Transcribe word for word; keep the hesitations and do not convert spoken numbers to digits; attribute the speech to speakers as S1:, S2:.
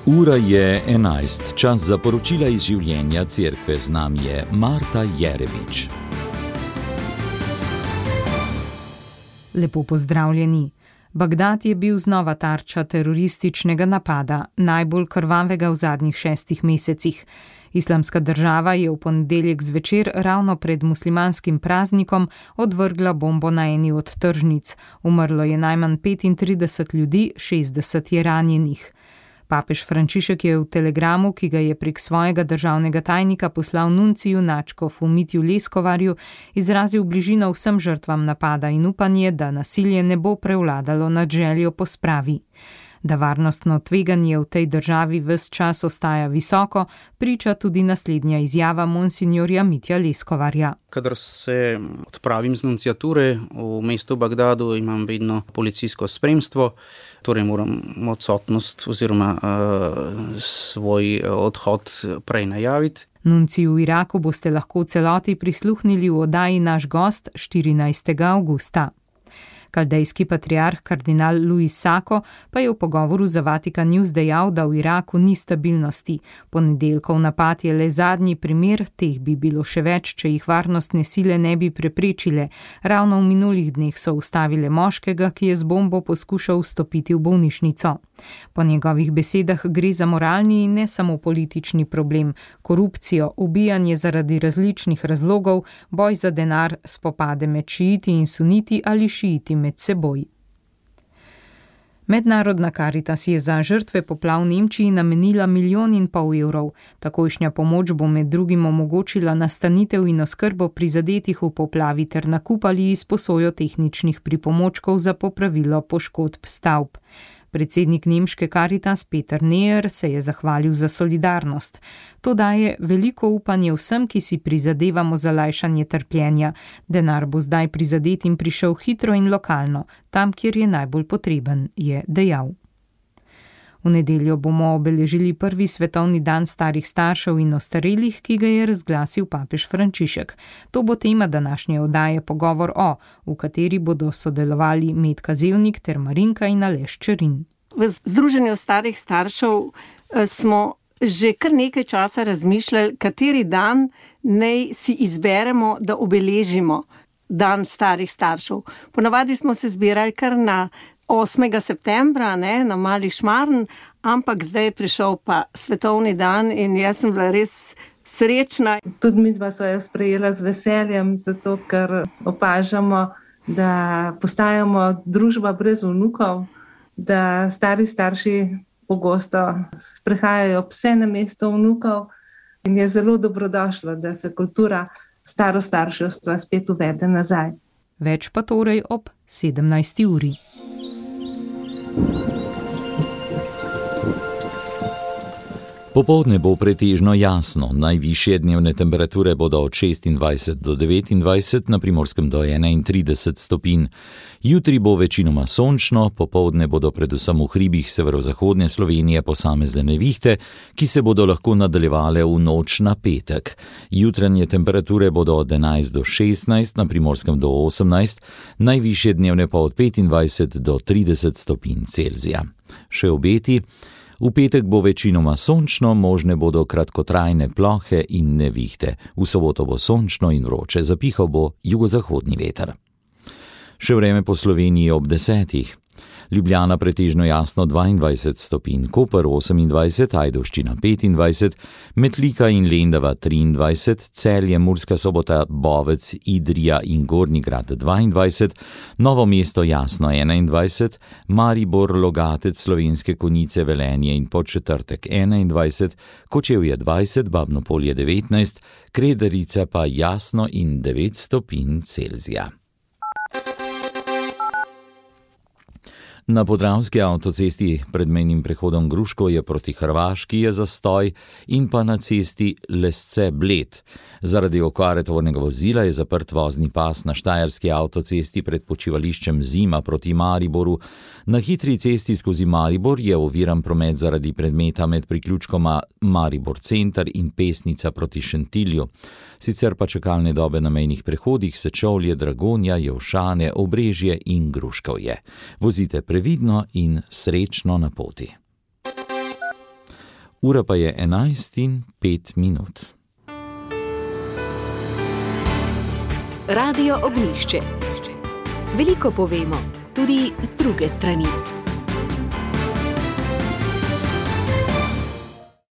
S1: Ura je enajst, čas za poročila iz življenja cerkve. Z nami je Marta Jerebič.
S2: Lepo pozdravljeni. Bagdad je bil znova tarča terorističnega napada, najbolj krvavega v zadnjih šestih mesecih. Islamska država je v ponedeljek zvečer ravno pred muslimanskim praznikom odvrgla bombo na eni od tržnic. Umrlo je najmanj petintrideset ljudi, šestdeset je ranjenih. Papež Frančišek je v telegramu, ki ga je prek svojega državnega tajnika poslal nunciju nadškofu Mitju Leskovarju, izrazil bližino vsem žrtvam napada in upanje, da nasilje ne bo prevladalo nad željo po spravi. Da varnostno tveganje v tej državi ves čas ostaja visoko, priča tudi naslednja izjava monsinjorja Mitja Leskovarja.
S3: Kadar se odpravim z nunciature v mestu Bagdadu, imam vedno policijsko spremstvo, torej moram odsotnost oziroma uh, svoj odhod prej najaviti.
S2: Nunciju v Iraku boste lahko v celoti prisluhnili v oddaji Naš gost štirinajstega avgusta. Kaldejski patriarh kardinal Luis Sako pa je v pogovoru za Vatikan News dejal, da v Iraku ni stabilnosti. Ponedeljkov napad je le zadnji primer, teh bi bilo še več, če jih varnostne sile ne bi preprečile. Ravno v minulih dneh so ustavile moškega, ki je z bombo poskušal vstopiti v bolnišnico. Po njegovih besedah gre za moralni in ne samo politični problem, korupcijo, ubijanje zaradi različnih razlogov, boj za denar, spopade med šiiti in suniti ali šiiti med seboj. Mednarodna Karitas je za žrtve poplav v Nemčiji namenila milijon in pol evrov. Takojšnja pomoč bo med drugim omogočila nastanitev in oskrbo prizadetih v poplavi ter nakup ali izposojo tehničnih pripomočkov za popravilo poškodb stavb. Predsednik nemške Karitas Peter Neher se je zahvalil za solidarnost. To daje veliko upanje vsem, ki si prizadevamo za lajšanje trpljenja. Denar bo zdaj prizadetim prišel hitro in lokalno, tam, kjer je najbolj potreben, je dejal. V nedeljo bomo obeležili prvi svetovni dan starih staršev in ostarelih, ki ga je razglasil papež Frančišek. To bo tema današnje oddaje Pogovor o, v kateri bodo sodelovali Metka Zevnik ter Marinka in Aleš Čerin.
S4: V Združenju starih staršev smo že kar nekaj časa razmišljali, kateri dan naj si izberemo, da obeležimo dan starih staršev. Ponavadi smo se zbirali kar na osmega septembra, ne, na Mali Šmarn, ampak zdaj je prišel pa svetovni dan in jaz sem bila res srečna.
S5: Tudi mi dva so jo sprejela z veseljem, zato ker opažamo, da postajamo družba brez vnukov, da stari starši pogosto sprehajajo pse na mesto vnukov in je zelo dobrodošlo, da se kultura starostarševstva spet uvede nazaj.
S2: Več pa torej ob sedemnajsti uri.
S1: Popoldne bo pretežno jasno, najvišje dnevne temperature bodo od šestindvajset do devetindvajset, na Primorskem do enaintrideset stopinj. Jutri bo večinoma sončno, popoldne bodo predvsem v hribih severozahodne Slovenije posamezne nevihte, ki se bodo lahko nadaljevale v noč na petek. Jutranje temperature bodo od enajst do šestnajst, na Primorskem do osemnajst, najvišje dnevne pa od petindvajset do trideset stopinj Celzija. Še obeti. V petek bo večinoma sončno, možne bodo kratkotrajne plohe in nevihte. V soboto bo sončno in vroče, zapihal bo jugozahodni veter. Še vreme po Sloveniji ob desetih. Ljubljana pretežno jasno dvaindvajset stopinj, Koper osemindvajset, Ajdovščina petindvajset, Metlika in Lendava triindvajset, Celje, Murska Sobota, Bovec, Idrija in Gornji Grad dvaindvajset, Novo mesto jasno enaindvajset, Maribor, Logatec, Slovenske Konjice, Velenje in Podčetrtek enaindvajset, Kočevje dvajset, Babno Polje devetnajst, Kredarica pa jasno in devet stopinj Celzija. Na Podravski avtocesti pred mejnim prehodom Gruško je proti Hrvaški je zastoj in pa na cesti Lesce-Bled. Zaradi okvare tovornega vozila je zaprt vozni pas na štajerski avtocesti pred počivališčem Zima proti Mariboru. Na hitri cesti skozi Maribor je oviran promet zaradi predmeta med priključkoma Maribor Center in Pesnica proti Šentilju. Sicer pa čakalne dobe na mejnih prehodih Sečovlje, Dragonja, Jevšane, Obrežje in Gruškovje. Vozite previdno in srečno na poti. Ura pa je enajst in pet minut.
S6: Radio Ognjišče. Veliko povemo, tudi z druge strani.